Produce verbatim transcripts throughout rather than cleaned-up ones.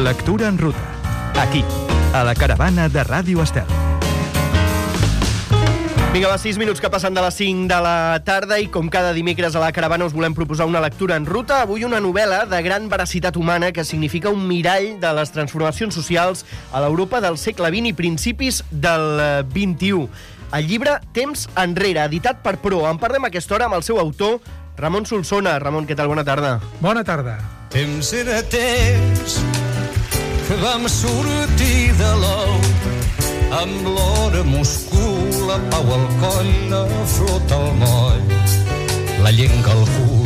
Lectura en ruta. Aquí, a la caravana de Ràdio Estel. Vinga, va, sis minuts que passen de les cinc de la tarda i com cada dimecres a la caravana us volem proposar una lectura en ruta. Avui una novel·la de gran veracitat humana que significa un mirall de les transformacions socials a l'Europa del segle vint i principis del vint-i-u. El llibre Temps enrere, editat per Pro. En parlem a aquesta hora amb el seu autor, Ramon Solsona. Ramon, què tal? Bona tarda. Bona tarda. Temps era temps que vam sortir de l'ou amb l'hora Moscou, la pau al coll, la flota al moll, la llenca al cul,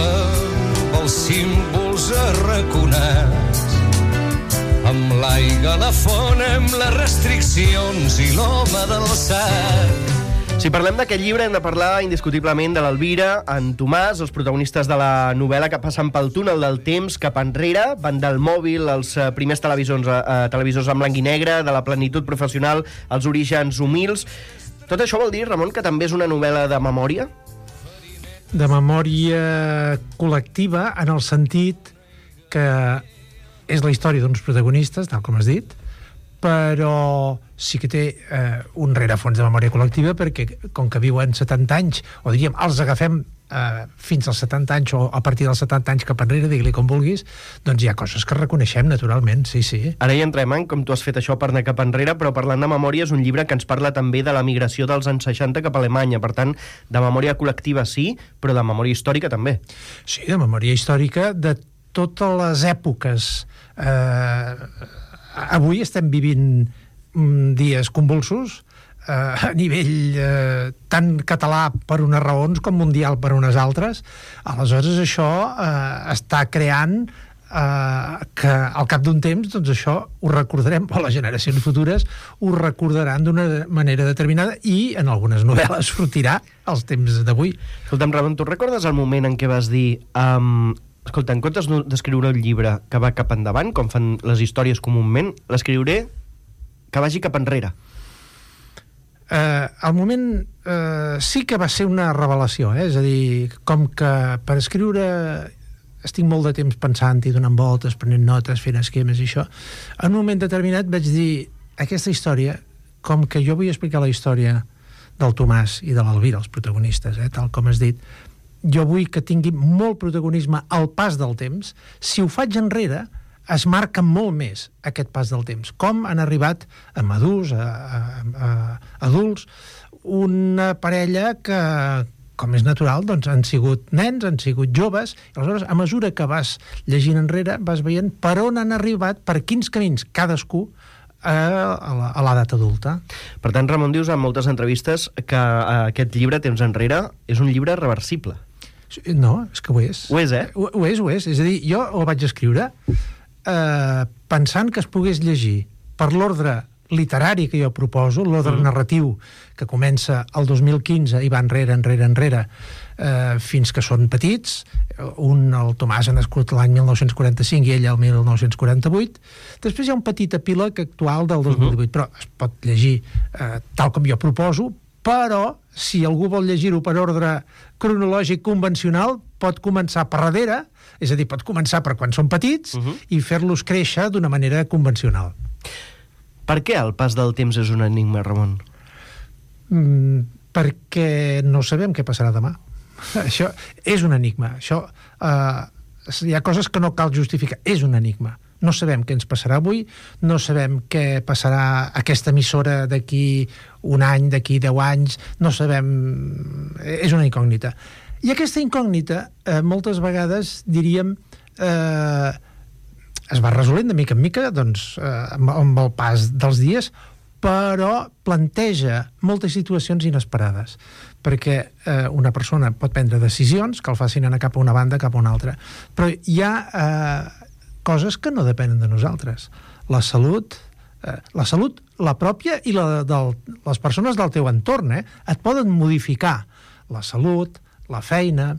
amb els símbols arraconats, amb l'aigua a la font, amb les restriccions i l'home del sac. Si parlem d'aquest llibre hem de parlar indiscutiblement de l'Elvira, en Tomàs, els protagonistes de la novel·la que passen pel túnel del temps cap enrere, van del mòbil als primers televisors, eh, televisors en blanc i negre, de la plenitud professional als orígens humils. Tot això vol dir, Ramon, que també és una novel·la de memòria? De memòria col·lectiva, en el sentit que és la història d'uns protagonistes, tal com has dit, però sí que té eh, un rerefons de memòria col·lectiva perquè, com que viuen setanta anys, o diríem, els agafem eh, fins als setanta anys o a partir dels setanta anys cap enrere, digue-li com vulguis, doncs hi ha coses que reconeixem naturalment, sí, sí. Ara hi entrem en com tu has fet això per anar cap enrere, però parlant de memòria és un llibre que ens parla també de la migració dels anys seixanta cap a Alemanya, per tant, de memòria col·lectiva sí, però de memòria històrica també. Sí, de memòria històrica de totes les èpoques. Eh, avui estem vivint dies convulsos eh, a nivell eh, tant català per unes raons com mundial per unes altres. Aleshores això eh, està creant eh, que al cap d'un temps doncs això ho recordarem, o les generacions futures ho recordaran d'una manera determinada i en algunes novel·les sortirà als temps d'avui. Escolta'm, Ramon, tu recordes el moment en què vas dir um, escolta, en comptes d'escriure un llibre que va cap endavant, com fan les històries comúment, l'escriuré que vagi cap enrere? Eh, al moment eh, sí que va ser una revelació, eh? És a dir, com que per escriure estic molt de temps pensant-hi, donant voltes, prenent notes, fent esquemes i això, en un moment determinat vaig dir, aquesta història, com que jo vull explicar la història del Tomàs i de l'Elvira, els protagonistes, eh, tal com has dit, jo vull que tingui molt protagonisme al pas del temps. Si ho faig enrere, es marca molt més aquest pas del temps. Com han arribat a madurs, a, a, a adults, una parella que, com és natural, doncs han sigut nens, han sigut joves, i aleshores, a mesura que vas llegint enrere, vas veient per on han arribat, per quins camins cadascú a, a l'edat adulta. Per tant, Ramon, dius en moltes entrevistes que aquest llibre, Temps enrere, és un llibre reversible. No, és que ho és. Ho és, eh? Ho, ho és, ho és. És a dir, jo ho vaig escriure eh, pensant que es pogués llegir per l'ordre literari que jo proposo, l'ordre mm. narratiu que comença el dos mil quinze i va enrere, enrere, enrere, eh, fins que són petits. Un, el Tomàs, ha nascut l'any mil nou-cents quaranta-cinc i ella el mil nou-cents quaranta-vuit. Després hi ha un petit epíleg actual del dos mil divuit, mm-hmm. però es pot llegir eh, tal com jo proposo, però si algú vol llegir-ho per ordre cronològic convencional, pot començar per darrere, és a dir, pot començar per quan són petits uh-huh. i fer-los créixer d'una manera convencional. Per què el pas del temps és un enigma, Ramon? Mm, perquè no sabem què passarà demà. Això és un enigma. Això, eh, hi ha coses que no cal justificar. És un enigma. No sabem què ens passarà avui, no sabem què passarà aquesta emissora d'aquí un any, d'aquí deu anys, no sabem... És una incògnita. I aquesta incògnita, eh, moltes vegades, diríem, eh, es va resolent de mica en mica, doncs, eh, amb, amb el pas dels dies, però planteja moltes situacions inesperades, perquè eh, una persona pot prendre decisions que el facin anar cap a una banda, cap a una altra. Però hi ha... Eh, coses que no depenen de nosaltres. La salut, eh, la salut, la pròpia i la de les persones del teu entorn, eh? Et poden modificar la salut, la feina,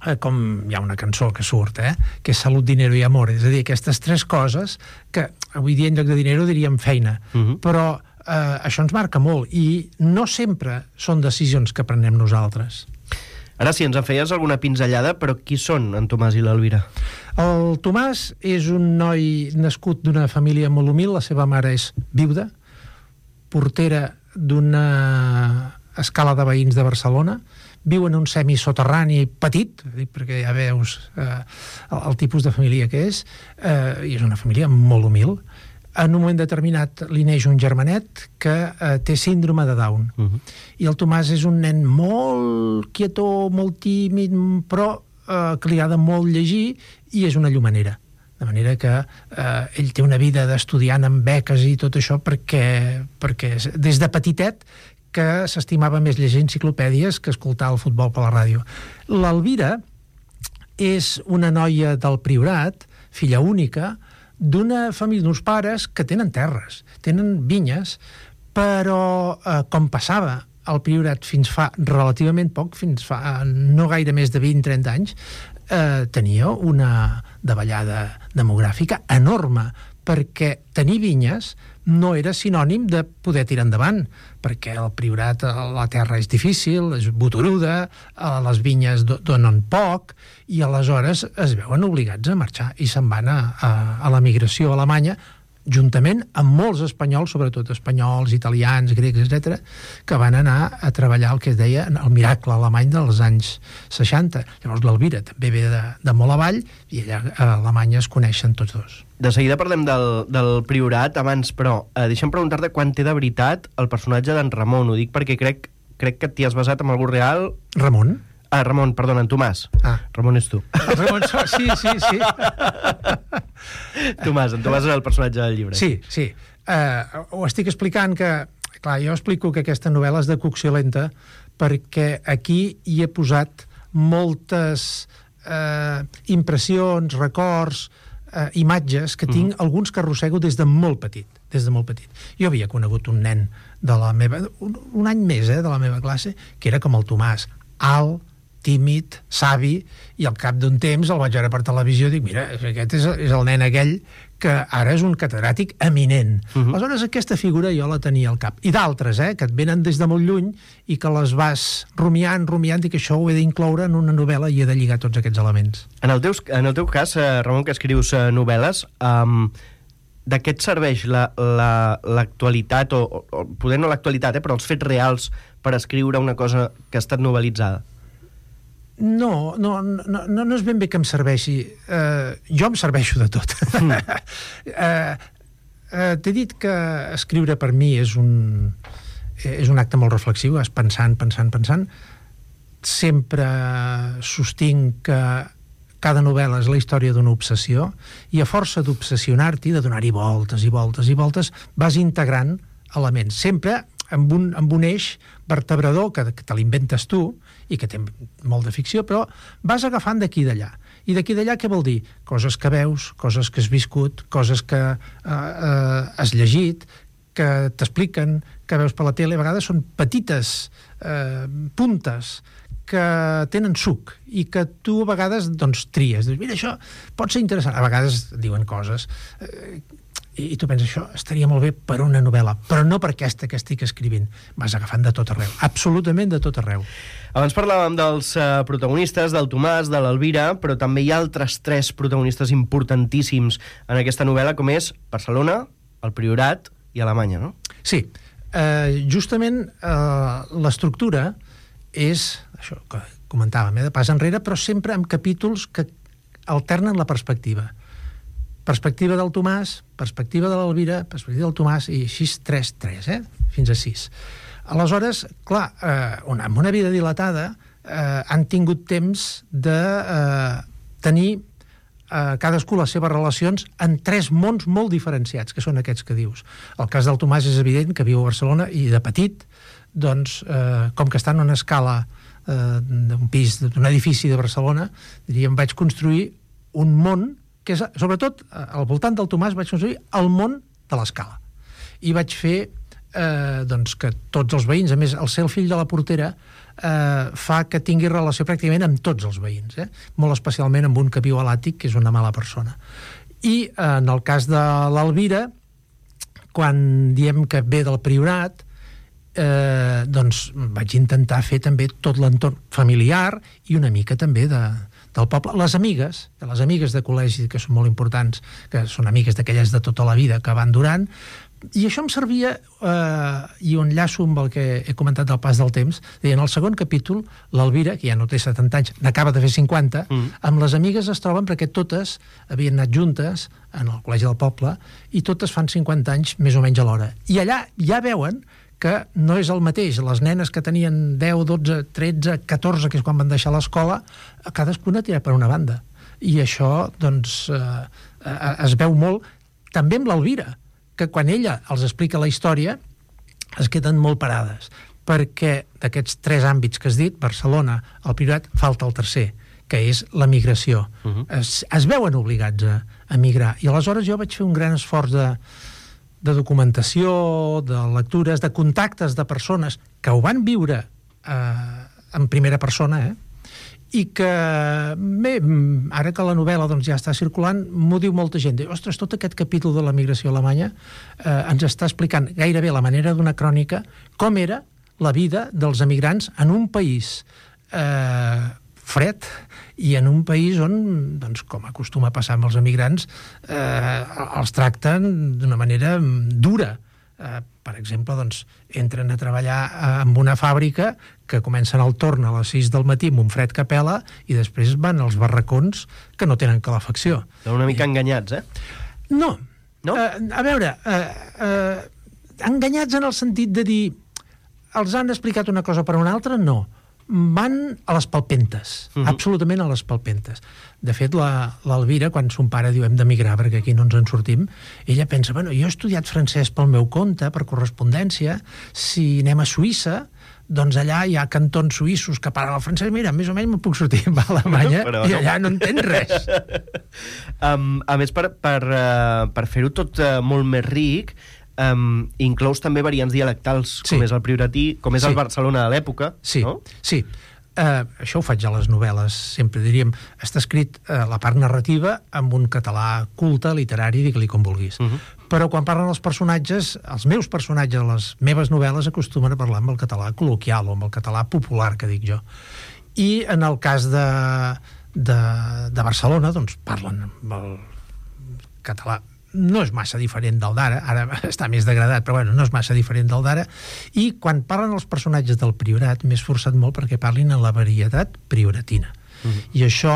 eh, com hi ha una cançó que surt, eh? Que és salut, dinero i amor. És a dir, aquestes tres coses que avui dia en lloc de dinero diríem feina. Uh-huh. Però eh, això ens marca molt i no sempre són decisions que prenem nosaltres. Ara sí, ens en feies alguna pinzellada, però qui són en Tomàs i l'Elvira? El Tomàs és un noi nascut d'una família molt humil, la seva mare és viuda, portera d'una escala de veïns de Barcelona, viu en un semisoterrani petit, perquè ja veus eh, el, el tipus de família que és, eh, i és una família molt humil. En un moment determinat li neix un germanet que eh, té síndrome de Down. Uh-huh. I el Tomàs és un nen molt quietó, molt tímid, però eh, que li agrada molt llegir i és una llumanera. De manera que eh, ell té una vida d'estudiant amb beques i tot això perquè, perquè des de petitet que s'estimava més llegir enciclopèdies que escoltar el futbol per la ràdio. L'Elvira és una noia del Priorat, filla única, d'una família, d'uns pares que tenen terres, tenen vinyes, però eh, com passava al Priorat fins fa relativament poc, fins fa no gaire més de vint a trenta anys, eh, tenia una davallada demogràfica enorme, perquè tenir vinyes no era sinònim de poder tirar endavant, perquè al Priorat la terra és difícil, és botoruda, les vinyes donen poc, i aleshores es veuen obligats a marxar i se'n van a, a, a la migració a Alemanya, juntament amb molts espanyols, sobretot espanyols, italians, grecs, etcètera, que van anar a treballar el que es deia el miracle alemany dels anys seixanta. Llavors l'Elvira també ve de, de molt avall i allà a Alemanya es coneixen tots dos. De seguida parlem del, del Priorat, abans, però eh, deixa'm preguntar-te quan té de veritat el personatge d'en Ramon. Ho dic perquè crec, crec que t'hi has basat en algú real. Ramon? Ah, Ramon, perdona, en Tomàs. Ah. Ramon és tu. El Ramon, sí, sí, sí. Tomàs, en Tomàs és el personatge del llibre. Sí, sí. Uh, ho estic explicant que... Clar, jo explico que aquesta novel·la és de cocció lenta perquè aquí hi he posat moltes uh, impressions, records, uh, imatges que tinc, mm. alguns que arrossego des de molt petit, des de molt petit. Jo havia conegut un nen de la meva... Un, un any més, eh, de la meva classe, que era com el Tomàs, alt, tímid, savi, i al cap d'un temps el vaig veure per televisió i dic, mira, aquest és, és el nen aquell que ara és un catedràtic eminent. Uh-huh. Aleshores aquesta figura jo la tenia al cap. I d'altres, eh, que et venen des de molt lluny i que les vas rumiant, rumiant, i que això ho he d'incloure en una novel·la i he de lligar tots aquests elements. En el teu, en el teu cas, eh, Ramon, que escrius eh, novel·les, um, de què et serveix la, la, l'actualitat, o, o poder no l'actualitat, eh, però els fets reals per escriure una cosa que ha estat novel·litzada? No, no, no, no és ben bé que em serveixi. Uh, jo em serveixo de tot. Mm. uh, uh, T'he dit que escriure per mi és un, és un acte molt reflexiu, és pensant, pensant, pensant. Sempre sostinc que cada novel·la és la història d'una obsessió i a força d'obsessionar-t'hi, de donar-hi voltes i voltes i voltes, vas integrant elements. Sempre amb un, amb un eix vertebrador que, que te l'inventes tu i que té molt de ficció, però vas agafant d'aquí i d'allà. I d'aquí i d'allà què vol dir? Coses que veus, coses que has viscut, coses que eh, eh, has llegit, que t'expliquen, que veus per la tele. A vegades són petites eh, puntes que tenen suc i que tu a vegades doncs, tries. Dius, mira, això pot ser interessant. A vegades diuen coses... Eh, i tu penses, això estaria molt bé per una novel·la, però no per aquesta que estic escrivint. Vas agafant de tot arreu, absolutament de tot arreu. Abans parlàvem dels uh, protagonistes, del Tomàs, de l'Elvira, però també hi ha altres tres protagonistes importantíssims en aquesta novel·la, com és Barcelona, el Priorat i Alemanya, no? Sí. Uh, justament uh, l'estructura és, això que comentàvem, eh, de pas enrere, però sempre amb capítols que alternen la perspectiva. Perspectiva del Tomàs, perspectiva de l'Elvira, perspectiva del Tomàs, i així tres, tres, eh? Fins a sis. Aleshores, clar, eh, una, amb una vida dilatada eh, han tingut temps de eh, tenir eh, cadascú les seves relacions en tres mons molt diferenciats, que són aquests que dius. El cas del Tomàs és evident, que viu a Barcelona, i de petit, doncs, eh, com que està en una escala eh, d'un pis, d'un edifici de Barcelona, diríem, vaig construir un món que és, sobretot, al voltant del Tomàs vaig construir el món de l'escala. I vaig fer eh, doncs que tots els veïns, a més, el ser el fill de la portera eh, fa que tingui relació pràcticament amb tots els veïns, eh? Molt especialment amb un que viu a l'àtic, que és una mala persona. I eh, en el cas de l'Elvira, quan diem que ve del Priorat, eh, doncs vaig intentar fer també tot l'entorn familiar i una mica també de, del poble. Les amigues, les amigues de col·legi, que són molt importants, que són amigues d'aquelles de tota la vida que van durant, i això em servia, eh, i ho enllaço amb el que he comentat del pas del temps. En el segon capítol, l'Elvira, que ja no té setanta anys, n'acaba de fer cinquanta, mm. amb les amigues es troben perquè totes havien anat juntes en el col·legi del poble i totes fan cinquanta anys més o menys alhora. I allà ja veuen que no és el mateix. Les nenes que tenien deu, dotze, tretze, catorze, que és quan van deixar l'escola, cadascuna tira per una banda. I això, doncs, eh, es veu molt també amb l'Elvira, que quan ella els explica la història es queden molt parades, perquè d'aquests tres àmbits que has dit, Barcelona, el Priorat, falta el tercer, que és la migració. Uh-huh. es, es veuen obligats a, a migrar. I aleshores jo vaig fer un gran esforç de, de documentació, de lectures, de contactes de persones que ho van viure eh, en primera persona, eh? I que, bé, ara que la novel·la doncs, ja està circulant, m'ho diu molta gent. Diu, ostres, tot aquest capítol de la migració alemanya eh, ens està explicant gairebé la manera d'una crònica com era la vida dels emigrants en un país eh, fred i en un país on, doncs, com acostuma a passar amb els emigrants, eh, els tracten d'una manera dura. Eh, per exemple, doncs, entren a treballar en una fàbrica que comencen el torn a les sis del matí amb un fred que pela i després van als barracons que no tenen calefacció. Una mica I... enganyats, eh? No. No? Eh, a veure, eh, eh, enganyats en el sentit de dir els han explicat una cosa per una altra, no. Van a les palpentes, uh-huh. absolutament a les palpentes. De fet, l'Elvira, quan son pare diu hem d'emigrar perquè aquí no ens en sortim, ella pensa, bueno, jo he estudiat francès pel meu compte, per correspondència, si anem a Suïssa, doncs allà hi ha cantons suïssos que parlen el francès, mira, més o menys me'n puc sortir a Alemanya no, i allà no entens res. um, a més, per, per, uh, per fer-ho tot uh, molt més ric, Um, inclous també variants dialectals, sí. com és el prioratí, com és sí. el Barcelona de l'època, sí. no? Sí, uh, això ho faig a les novel·les, sempre diríem, està escrit uh, la part narrativa amb un català culte, literari, digue-li com vulguis. Uh-huh. Però quan parlen els personatges, els meus personatges, les meves novel·les, acostumen a parlar amb el català col·loquial o amb el català popular, que dic jo. I en el cas de, de, de Barcelona, doncs parlen amb el català. No és massa diferent del d'ara, ara està més degradat, però bueno, no és massa diferent del d'ara, i quan parlen els personatges del Priorat m'he esforçat molt perquè parlin en la varietat prioratina. Uh-huh. I això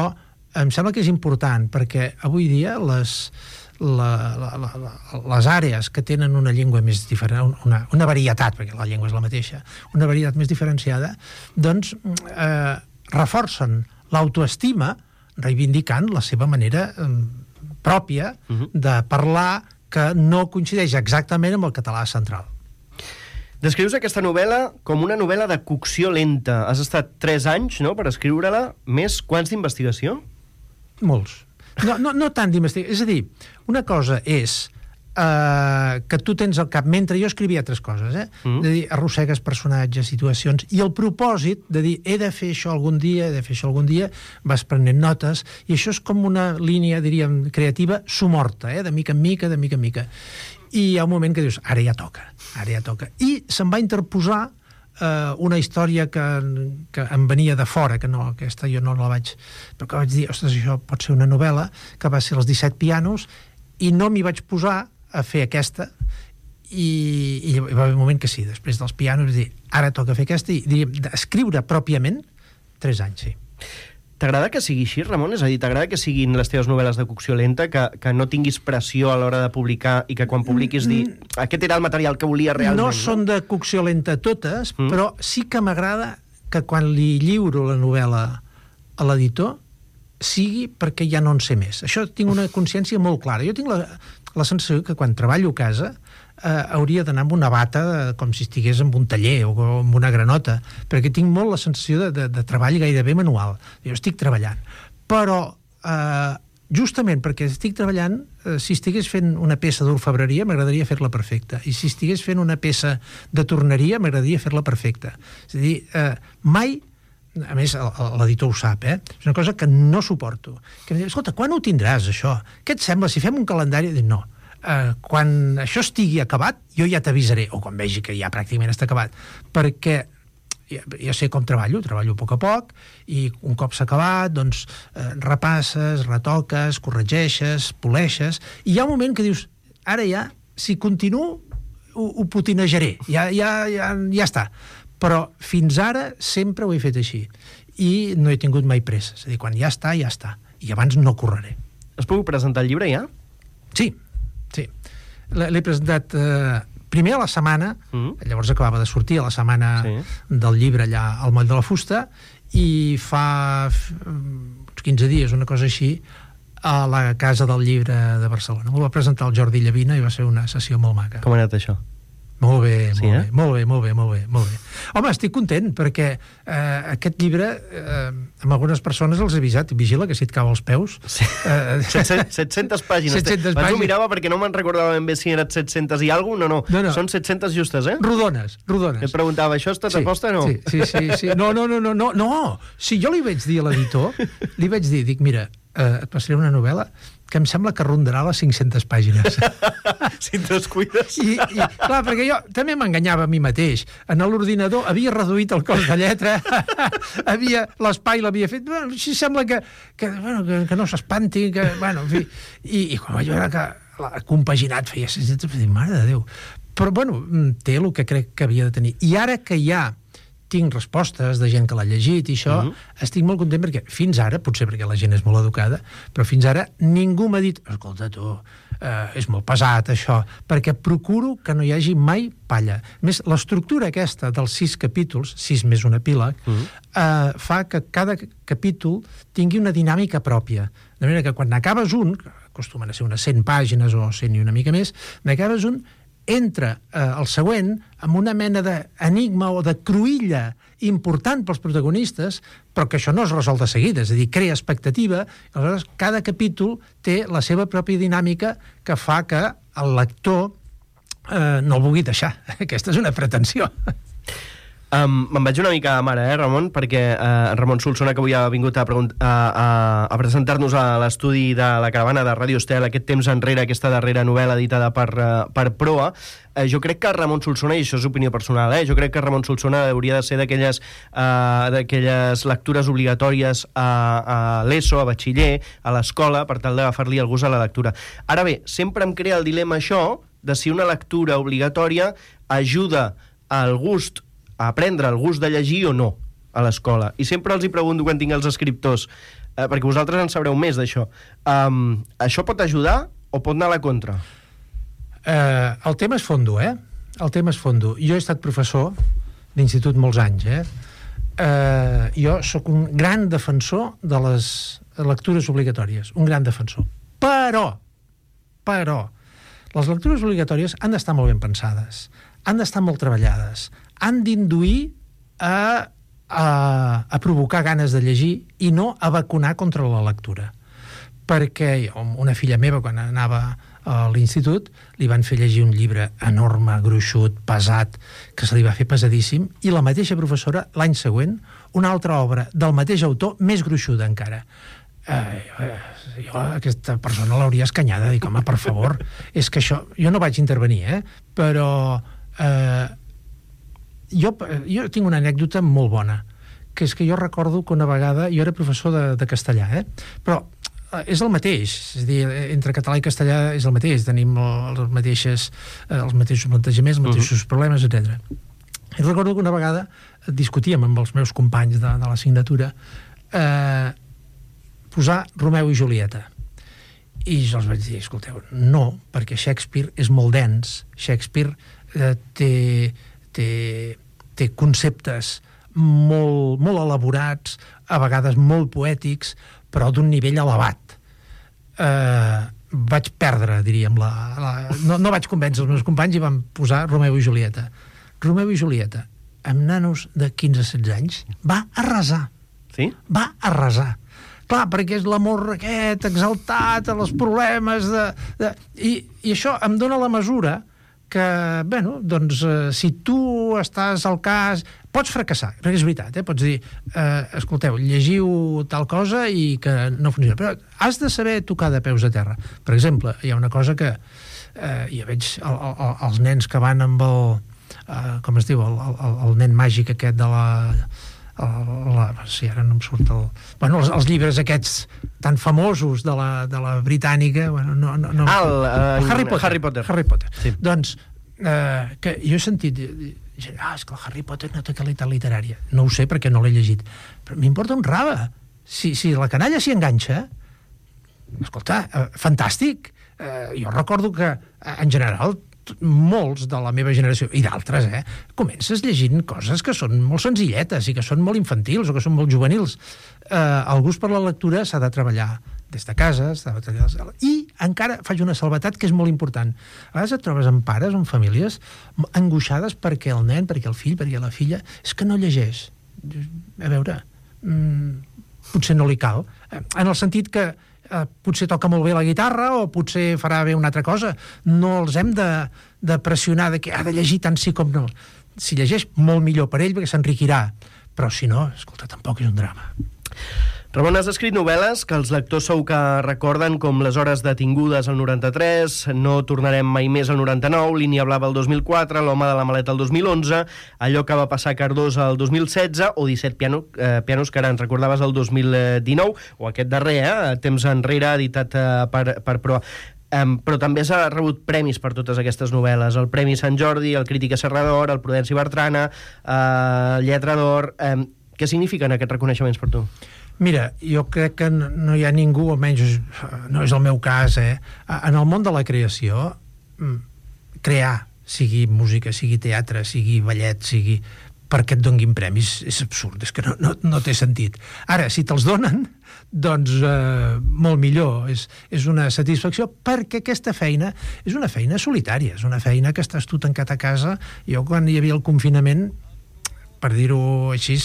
em sembla que és important, perquè avui dia les, la, la, la, la, les àrees que tenen una llengua més diferent, una, una varietat, perquè la llengua és la mateixa, una varietat més diferenciada, doncs eh, reforcen l'autoestima reivindicant la seva manera eh, pròpia uh-huh. de parlar que no coincideix exactament amb el català central. Descrius aquesta novel·la com una novel·la de cocció lenta. Has estat tres anys, no?, per escriure-la. Més quants d'investigació? Molts. No, no, no tant d'investigació. És a dir, una cosa és Uh, que tu tens al cap, mentre jo escrivia altres coses, eh? Mm. de dir, arrossegues personatges, situacions, i el propòsit de dir, he de fer això algun dia, he de fer això algun dia, vas prenent notes, i això és com una línia, diríem, creativa, somorta, eh? de mica en mica, de mica en mica. I hi ha un moment que dius, ara ja toca, ara ja toca. I se'm va interposar uh, una història que, que em venia de fora, que no, aquesta jo no la vaig... però que vaig dir, ostres, això pot ser una novel·la, que va ser Els disset pianos, i no m'hi vaig posar a fer aquesta, i, i hi va haver un moment que sí, després dels pianos, dir, ara toca fer aquesta, i diríem, escriure pròpiament, tres anys, sí. T'agrada que sigui així, Ramon? És a dir, t'agrada que siguin les teves novel·les de cocció lenta, que, que no tinguis pressió a l'hora de publicar i que quan publiquis dir, aquest era el material que volia realment? No són de cocció lenta totes, mm. però sí que m'agrada que quan li lliuro la novel·la a l'editor sigui perquè ja no en sé més. Això tinc una consciència molt clara. Jo tinc la, la sensació que quan treballo a casa eh, hauria d'anar amb una bata com si estigués en un taller o amb una granota, perquè tinc molt la sensació de, de, de treball gairebé manual. Jo estic treballant. Però eh, justament perquè estic treballant, eh, si estigués fent una peça d'orfebreria m'agradaria fer-la perfecta, i si estigués fent una peça de torneria m'agradaria fer-la perfecta. És a dir, eh, mai... A més, l'editor ho sap, eh? És una cosa que no suporto. Que em diu, escolta, quan ho tindràs, això? Què et sembla si fem un calendari? Dic, no, eh, quan això estigui acabat, jo ja t'avisaré, o quan vegi que ja pràcticament està acabat, perquè jo sé com treballo, treballo a poc a poc, i un cop s'ha acabat, doncs eh, repasses, retoques, corregeixes, poleixes, i hi ha un moment que dius, ara ja, si continuo, ho, ho potinejaré, ja, ja, ja, ja està. Però fins ara sempre ho he fet així, i no he tingut mai pressa, és a dir, quan ja està, ja està, i abans no correré. Es puc presentar el llibre ja? Sí, sí. L'he presentat... Eh, primer a la setmana, mm. llavors acabava de sortir a la setmana sí. del llibre allà al Moll de la Fusta, i fa uns quinze dies, una cosa així, a la Casa del Llibre de Barcelona. M'ho va presentar el Jordi Llavina i va ser una sessió molt maca. Com ha anat això? Molt bé, sí, molt, eh? bé, molt bé, molt bé, molt bé, molt bé. Home, estic content perquè eh, aquest llibre, eh, amb algunes persones els he avisat, vigila que si et cau als peus... Sí. Eh, set-centes pàgines. set-centes Abans pàgines. ho mirava perquè no me'n recordava ben bé si eren set-centes i alguna no, no. No, no. Són set-centes justes, eh? Rodones, rodones. Et preguntava, això està sí, aposta o no? Sí, sí, sí, sí. No, no, no, no, no, no. Si jo li vaig dir a l'editor, li vaig dir, dic, mira, eh, et passaré una novel·la que em sembla que rondarà les cinc-centes pàgines. Si et descuides. I, i, clar, perquè jo també m'enganyava a mi mateix. En l'ordinador havia reduït el cos de lletra, havia l'espai l'havia fet... Bueno, així sembla que, que, bueno, que, que no s'espanti, que... Bueno, en fi... I, i quan vaig veure que l'ha compaginat feia cinc-centes, vaig dir, mare de Déu. Però, bueno, té el que crec que havia de tenir. I ara que ja tinc respostes de gent que l'ha llegit i això, mm-hmm. estic molt content perquè fins ara, potser perquè la gent és molt educada, però fins ara ningú m'ha dit, escolta tu, eh, és molt pesat això, perquè procuro que no hi hagi mai palla. A més, l'estructura aquesta dels sis capítols, sis més un epíleg, mm-hmm. eh, fa que cada capítol tingui una dinàmica pròpia. De manera que quan n'acabes un, que acostumen a ser unes cent pàgines o cent i una mica més, n'acabes un, entra eh, el següent amb una mena d'enigma o de cruïlla important pels protagonistes, però que això no es resol de seguida, és a dir, crea expectativa, i aleshores cada capítol té la seva pròpia dinàmica que fa que el lector eh, no el vulgui deixar. Aquesta és una pretensió. Um, me'n vaig una mica a mare, eh, Ramon, perquè uh, Ramon Solsona, que avui ha vingut a, a, a, a presentar-nos a l'estudi de la caravana de Ràdio Estel aquest temps enrere, aquesta darrera novel·la editada per, uh, per Proa, uh, jo crec que Ramon Solsona, i això és opinió personal, eh, jo crec que Ramon Solsona hauria de ser d'aquelles uh, d'aquelles lectures obligatòries a, a l'ESO, a batxiller, a l'escola, per tal d'agafar-li el gust a la lectura. Ara bé, sempre em crea el dilema això de si una lectura obligatòria ajuda al gust a aprendre el gust de llegir o no a l'escola. I sempre els hi pregunto quan tinc els escriptors, eh, perquè vosaltres en sabreu més d'això. Um, això pot ajudar o pot anar a la contra? Eh, el tema és fondo, eh? El tema és fondo. Jo he estat professor d'institut molts anys, eh? eh jo sóc un gran defensor de les lectures obligatòries, un gran defensor. Però, però, les lectures obligatòries han d'estar molt ben pensades, han d'estar molt treballades, han d'induir a, a, a provocar ganes de llegir i no a vacunar contra la lectura. Perquè jo, una filla meva, quan anava a l'institut, li van fer llegir un llibre enorme, gruixut, pesat, que se li va fer pesadíssim, i la mateixa professora, l'any següent, una altra obra del mateix autor, més gruixuda encara. Eh, eh, jo aquesta persona l'hauria escanyada, dic, home, per favor, és que això... Jo no vaig intervenir, eh? Però... Eh, Jo, jo tinc una anècdota molt bona, que és que jo recordo que una vegada, jo era professor de, de castellà, eh? però és el mateix, és a dir, entre català i castellà és el mateix, tenim els mateixos, els mateixos plantejaments, els mateixos uh-huh. problemes, etcètera. I recordo que una vegada discutíem amb els meus companys de, de l'assignatura eh, posar Romeu i Julieta. I jo els vaig dir, escolteu, no, perquè Shakespeare és molt dens, Shakespeare eh, té... té té conceptes molt, molt elaborats, a vegades molt poètics, però d'un nivell elevat. Eh, vaig perdre, diríem, la, la, no, no vaig convèncer els meus companys i vam posar Romeu i Julieta. Romeu i Julieta, amb nanos de quinze a setze anys, va arrasar. Sí? Va arrasar. Clar, perquè és l'amor aquest, exaltat, els problemes de... de i, I això em dona la mesura que, bueno, doncs, eh, si tu estàs al cas... Pots fracassar, perquè és veritat, eh? Pots dir, eh, escolteu, llegiu tal cosa i que no funciona. Però has de saber tocar de peus a terra. Per exemple, hi ha una cosa que eh, i ja veig el, el, els nens que van amb el, eh, com es diu, el, el, el nen màgic aquest de la... El, la sí, ara no em surt el... Bueno, els, els llibres aquests tan famosos de la, de la britànica, bueno, no, no, no ah, el, uh, Harry Potter. Harry Potter. Harry Potter. Sí. Doncs, eh, que jo he sentit... Ah, és que el Harry Potter no té qualitat literària. No ho sé perquè no l'he llegit. Però m'importa un rave. Si, si la canalla s'hi enganxa, escolta, eh, fantàstic. Eh, jo recordo que, eh, en general, molts de la meva generació, i d'altres, eh, comences llegint coses que són molt senzilletes i que són molt infantils o que són molt juvenils. Eh, el gust per la lectura s'ha de treballar des de casa, s'ha de treballar... I encara faig una salvetat que és molt important. A vegades et trobes amb pares o amb famílies angoixades perquè el nen, perquè el fill, perquè la filla, és que no llegeix. A veure, mmm, potser no li cal. En el sentit que eh, potser toca molt bé la guitarra o potser farà bé una altra cosa. No els hem de, de pressionar de que ha de llegir tant sí com no. Si llegeix, molt millor per ell perquè s'enriquirà. Però si no, escolta, tampoc és un drama. Ramon, has escrit novel·les que els lectors sou que recorden com Les hores detingudes al noranta-tres, No tornarem mai més al noranta-nou, Línia blava al dos mil quatre, L'home de la maleta al dos mil onze, Allò que va passar a Cardós al dos mil setze o disset piano, eh, pianos que ara ens recordaves al dos mil dinou, o aquest darrer, eh, temps enrere, editat eh, per, per Proa. Um, però també s'ha rebut premis per totes aquestes novel·les. El Premi Sant Jordi, el Crítica Serrador, el Prudenci Bertrana, eh, el Lletra d'Or... Um, què signifiquen aquests reconeixements per tu? Mira, jo crec que no hi ha ningú, almenys no és el meu cas, eh? En el món de la creació, crear, sigui música, sigui teatre, sigui ballet, sigui... perquè et donguin premis, és absurd, és que no, no, no té sentit. Ara, si te'ls donen, doncs eh, molt millor, és, és una satisfacció, perquè aquesta feina és una feina solitària, és una feina que estàs tu tancat a casa. Jo, quan hi havia el confinament, per dir-ho així,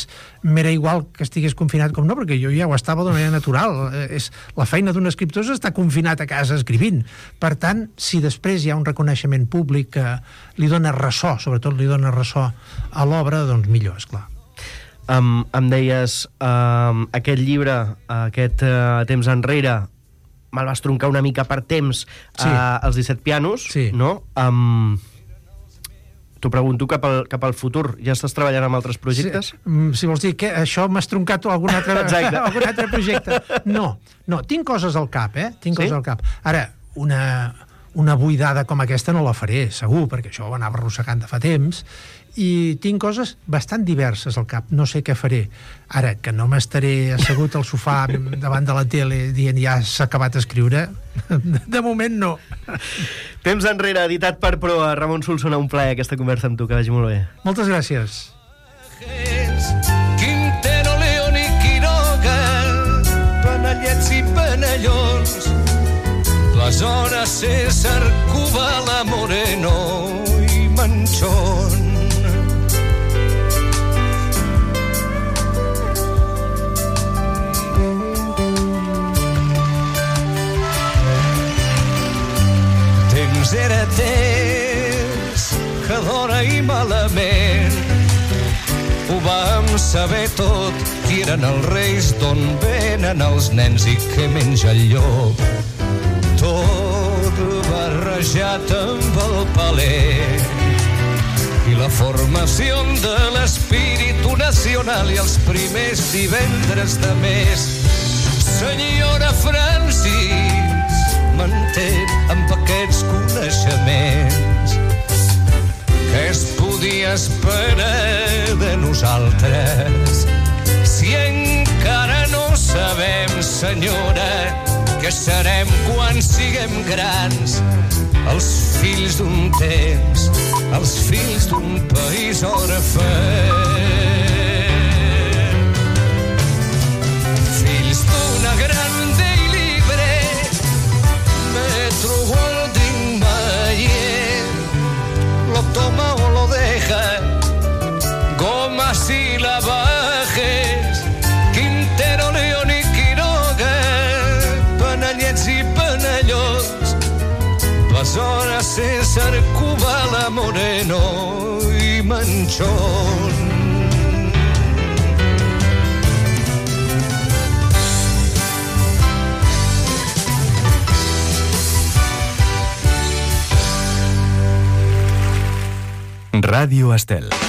m'era igual que estigués confinat com no, perquè jo ja ho estava d'una manera natural. És, la feina d'un escriptor és estar confinat a casa escrivint. Per tant, si després hi ha un reconeixement públic que li dona ressò, sobretot li dona ressò a l'obra, doncs millor, esclar. Um, em deies, um, aquest llibre, aquest uh, temps enrere, me'l vas troncar una mica per temps, sí. uh, els disset pianos, sí. no? Um, T'ho pregunto cap al, cap al futur. Ja estàs treballant amb altres projectes? Sí, si vols dir que això m'has troncat algun altre, algun altre projecte. No, no, tinc coses al cap, eh? Tinc sí? coses al cap. Ara, una, una buidada com aquesta no la faré, segur, perquè això ho anava arrossegant de fa temps, i tinc coses bastant diverses al cap. No sé què faré. Ara, que no m'estaré assegut al sofà davant de la tele dient ja s'ha acabat d'escriure, de moment no. Temps enrere, editat per Proa. Ramon Solsona, un plaer aquesta conversa amb tu, que vagi molt bé. Moltes gràcies. Quintero, León i Quiroga, Penellets i Penellons, les hores César, Cubala, Moreno i Manchón. Temps era temps que d'hora i malament ho vam saber tot, qui eren els reis, d'on venen els nens i què menja el llop. Tot barrejat amb el paler i la formació de l'espíritu nacional i els primers divendres de mes. Senyora Francis, m'entén amb aquests coneixements. Què es podia esperar de nosaltres si encara no sabem, senyora, què serem quan siguem grans? Els fills d'un temps, els fills d'un país orfe. Fills d'una grande i libre Metro Goldwyn Mayer, lo toma o lo deja, Gomas y Lavajes, Quintero, León i Quiroga, Penellets i Penellons, les hores César, Cubala, Moreno i Manchón. Ràdio Estel.